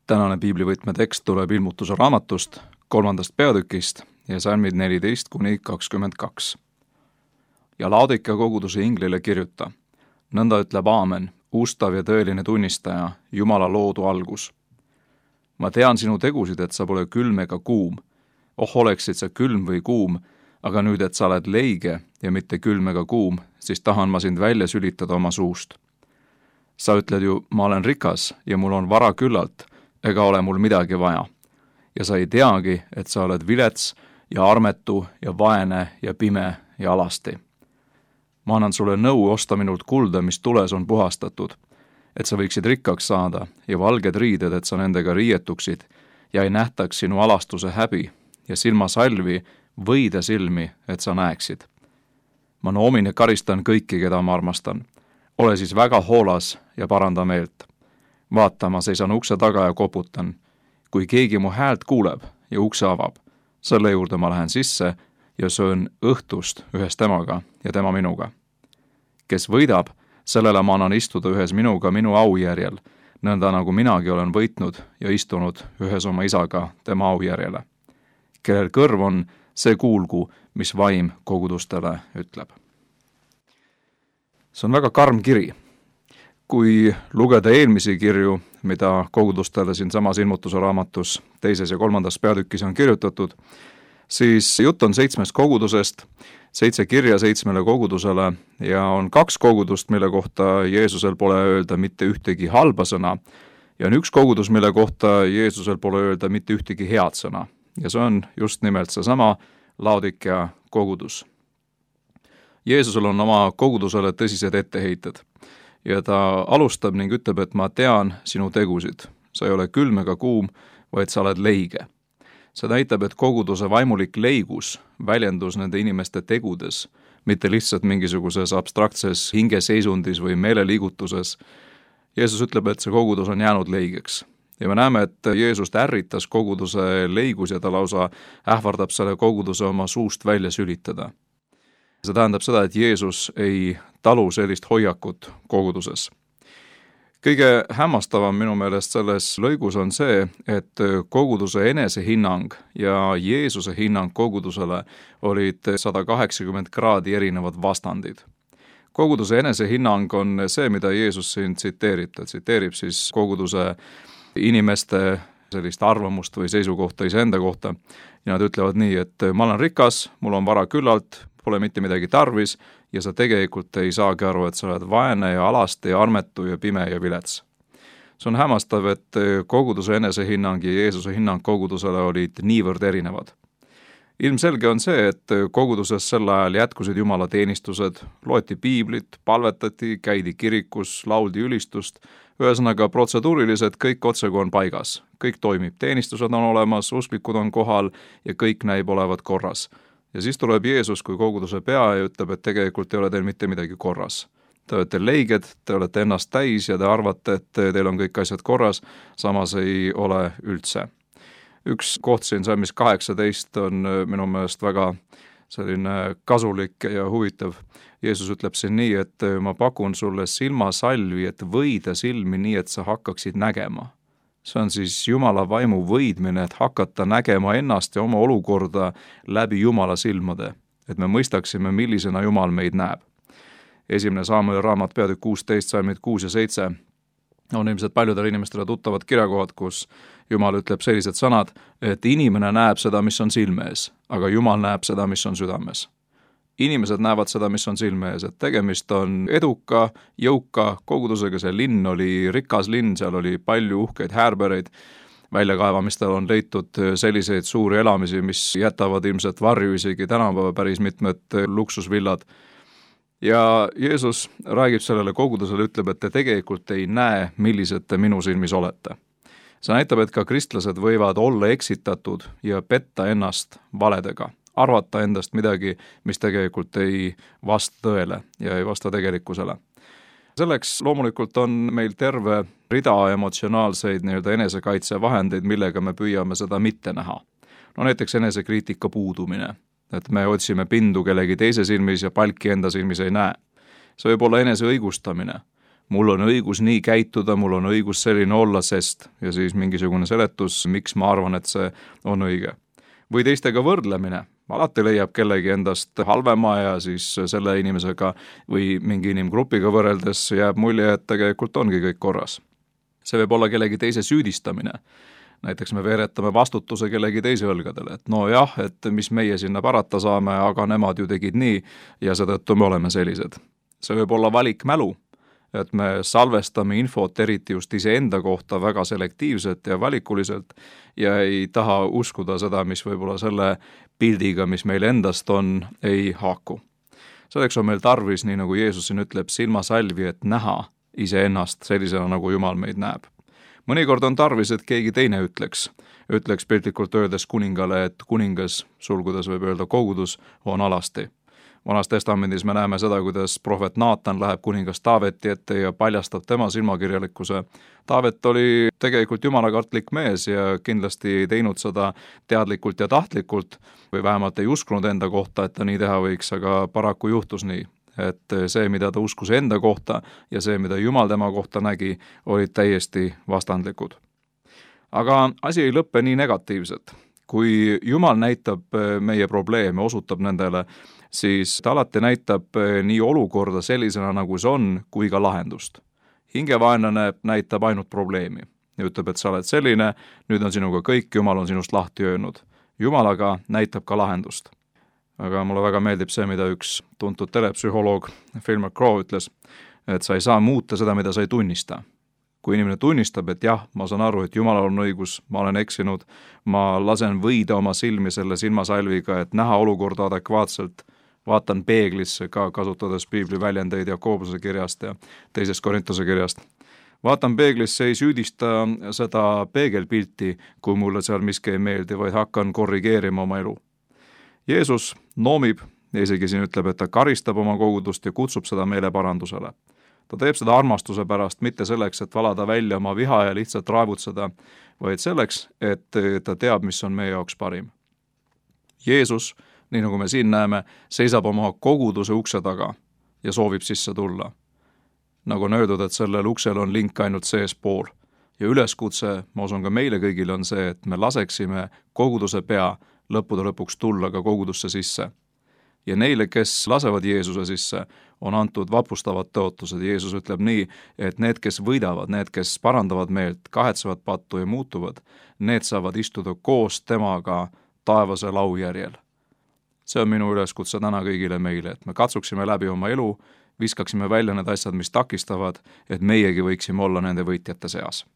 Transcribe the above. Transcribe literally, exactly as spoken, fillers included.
Tänane piiblivõtme tekst tuleb Ilmutuse raamatust, kolmandast peatükist ja salmid neliteist kuni kakskümmend kaks. Ja Laodikea koguduse inglile kirjuta, nõnda ütleb Aamen, ustav ja tõeline tunnistaja, Jumala loodu algus. Ma tean sinu tegusid, et sa pole külm ega kuum. Oh, oleksid sa külm või kuum, aga nüüd, et sa oled leige ja mitte külm ega kuum, siis tahan ma sind välja sülitada oma suust. Sa ütled ju, ma olen rikas ja mul on vara küllalt, ega ole mul midagi vaja. Ja sa ei teagi, et sa oled vilets ja armetu ja vaene ja pime ja alasti. Ma annan sulle nõu osta minult kulda, mis tules on puhastatud, et sa võiksid rikkaks saada ja valged riided, et sa nendega riietuksid ja ei nähtaks sinu alastuse häbi ja silmasalvi võide silmi, et sa näeksid. Ma noomin ja karistan kõiki, keda ma armastan. Ole siis väga hoolas ja paranda meelt. Vaata, ma seisan ukse taga ja koputan. Kui keegi mu häält kuuleb ja ukse avab, selle juurde ma lähen sisse ja söön õhtust ühes temaga ja tema minuga. Kes võidab, sellele ma annan istuda ühes minuga minu aujärjel, nõnda nagu minagi olen võitnud ja istunud ühes oma isaga tema aujärjele. Kellel kõrv on, see kuulgu, mis vaim kogudustele ütleb. See on väga karm kiri. Kui lugeda eelmisi kirju, mida kogudustele siin samas Ilmutuse raamatus teises ja kolmandas peatükis on kirjutatud, siis jutt on seitsmest kogudusest, seitse kirja seitsmele kogudusele ja on kaks kogudust, mille kohta Jeesusel pole öelda mitte ühtegi halba sõna ja on üks kogudus, mille kohta Jeesusel pole öelda mitte ühtegi head sõna. Ja see on just nimelt seesama Laodikea kogudus. Jeesusel on oma kogudusele tõsised etteheited ja ta alustab ning ütleb, et ma tean sinu tegusid. Sa ei ole külm ega kuum, vaid sa oled leige. See näitab, et koguduse vaimulik leigus väljendus nende inimeste tegudes, mitte lihtsalt mingisuguses abstraktses hingeseisundis või meeleliigutuses. Jeesus ütleb, et see kogudus on jäänud leigeks. Ja me näeme, et Jeesust ärritas koguduse leigus ja ta lausa ähvardab selle koguduse oma suust välja sülitada. See tähendab seda, et Jeesus ei talu sellist hoiakut koguduses. Kõige hämmastavam minu meelest selles lõigus on see, et koguduse enesehinnang ja Jeesuse hinnang kogudusele olid sada kaheksakümmend kraadi erinevad vastandid. Koguduse enesehinnang on see, mida Jeesus siin tsiteerib. Ta tsiteerib siis koguduse inimeste sellist arvamust või seisukohta iseenda kohta ja nad ütlevad nii, et ma olen rikas, mul on vara küllalt, pole mitte midagi tarvis ja sa tegelikult ei saagi aru, et sa oled vaene ja alasti ja armetu ja pime ja vilets. See on hämmastav, et koguduse enesehinnang ja Jeesuse hinnang kogudusele olid niivõrd erinevad. Ilmselge on see, et koguduses sel ajal jätkusid Jumala teenistused, loeti piiblit, palvetati, käidi kirikus, lauldi ülistust, ühesõnaga protseduurilised kõik otseku on paigas. Kõik toimib, teenistused on olemas, usklikud on kohal ja kõik näib olevat korras. Ja siis tuleb Jeesus kui koguduse pea ja ütleb, et tegelikult ei ole teil mitte midagi korras. Te olete leiged, te olete ennast täis ja te arvate, et teil on kõik asjad korras, samas ei ole üldse. Üks koht siin salmis kaheksateist on minu meelest väga selline kasulik ja huvitav. Jeesus ütleb siin nii, et ma pakun sulle silmasalvi, et võida silmi nii, et sa hakkaksid nägema. See on siis Jumala vaimu võidmine, et hakata nägema ennast ja oma olukorda läbi Jumala silmade, et me mõistaksime, millisena Jumal meid näeb. Esimene Saamueli raamat peatükk kuusteist, salmid kuus ja seitse on ilmselt paljudele inimestele tuttavad kirjakohad, kus Jumal ütleb sellised sõnad, et inimene näeb seda, mis on silme ees, aga Jumal näeb seda, mis on südames. Inimesed näevad seda, mis on silme ees, et tegemist on eduka, jõuka kogudusega, see linn oli rikas linn, seal oli palju uhkeid häärbereid, väljakaevamistel on leitud selliseid suuri elamisi, mis jätavad ilmselt varju isegi tänapäeva päris mitmed luksusvillad. Ja Jeesus räägib sellele kogudusele, ütleb, et te tegelikult ei näe, millised te minu silmis olete. See näitab, et ka kristlased võivad olla eksitatud ja petta ennast valedega. Arvata endast midagi, mis tegelikult ei vasta tõele ja ei vasta tegelikkusele. Selleks loomulikult on meil terve rida emotsionaalseid nii-öelda enesekaitsevahendeid, millega me püüame seda mitte näha. No näiteks enesekriitika puudumine, et me otsime pindu kellegi teise silmis ja palki enda silmis ei näe. See võib olla enese õigustamine. mul on õigus nii käituda, mul on õigus selline olla, sest, ja siis mingisugune seletus, miks ma arvan, et see on õige. Või teistega võrdlemine, alati leiab kellegi endast halvema ja siis selle inimesega või mingi inimgrupiga võrreldes jääb mulje, et tegelikult ongi kõik korras. See võib olla kellegi teise süüdistamine. Näiteks me veeretame vastutuse kellegi teise õlgadele, et no jah, et mis meie sinna parata saame, aga nemad ju tegid nii ja seetõttu me oleme sellised. See võib olla valikmälu, et me salvestame infot eriti just iseenda kohta väga selektiivselt ja valikuliselt ja ei taha uskuda seda, mis võib-olla selle pildiga, mis meil endast on, ei haaku. Selleks on meil tarvis, nii nagu Jeesus siin ütleb, silmasalvi, et näha iseennast sellisena, nagu Jumal meid näeb. Mõnikord on tarvis, et keegi teine ütleks, ütleks piltlikult öeldes kuningale, et kuningas, sulgudes võib öelda kogudus, on alasti. Vanas testamendis me näeme seda, kuidas prohvet Naatan läheb kuningas Taaveti ette ja paljastab tema silmakirjalikkuse. Taavet oli tegelikult jumalakartlik mees ja kindlasti ei teinud seda teadlikult ja tahtlikult või vähemalt ei uskunud enda kohta, et ta nii teha võiks, aga paraku juhtus nii, et see, mida ta uskus enda kohta ja see, mida Jumal tema kohta nägi, olid täiesti vastandlikud. Aga asi ei lõppe nii negatiivselt. Kui Jumal näitab meie probleeme, osutab nendele, siis ta alati näitab nii olukorda sellisena, nagu see on, kui ka lahendust. Hingevaenlane näitab ainult probleemi ja ütleb, et sa oled selline, nüüd on sinuga kõik, Jumal on sinust lahti öelnud. Jumal aga näitab ka lahendust. Aga mulle väga meeldib see, mida üks tuntud telepsühholoog Phil McGraw ütles, et sa ei saa muuta seda, mida sa ei tunnista. Kui inimene tunnistab, et jah, ma saan aru, et Jumalal on õigus, ma olen eksinud, ma lasen võida oma silmi selle silmasalviga, et näha olukorda adekvaatselt, vaatan peeglisse ka, kasutades piibli väljendeid Jakobuse kirjast ja teisest Korintuse kirjast. Vaatan peeglisse, ei süüdista seda peegelpilti, kui mulle seal miski ei meeldi, vaid hakkan korrigeerima oma elu. Jeesus noomib ja isegi siin ütleb, et ta karistab oma kogudust ja kutsub seda meile parandusele. Ta teeb seda armastuse pärast, mitte selleks, et valada välja oma viha ja lihtsalt raevutseda, vaid selleks, et ta teab, mis on meie jaoks parim. Jeesus, nii nagu me siin näeme, seisab oma koguduse ukse taga ja soovib sisse tulla. Nagu on öeldud, et sellel uksel on link ainult seespool. Ja üleskutse, ma usun ka meile kõigile on see, et me laseksime koguduse pea lõppude lõpuks tulla ka kogudusse sisse. Ja neile, kes lasevad Jeesuse sisse, on antud vapustavad tõotused. Jeesus ütleb nii, et need, kes võidavad, need, kes parandavad meelt, kahetsevad pattu ja muutuvad, need saavad istuda koos temaga taevase laujärjel. See on minu üleskutse täna kõigile meile, et me katsuksime läbi oma elu, viskaksime välja need asjad, mis takistavad, et meiegi võiksime olla nende võitjate seas.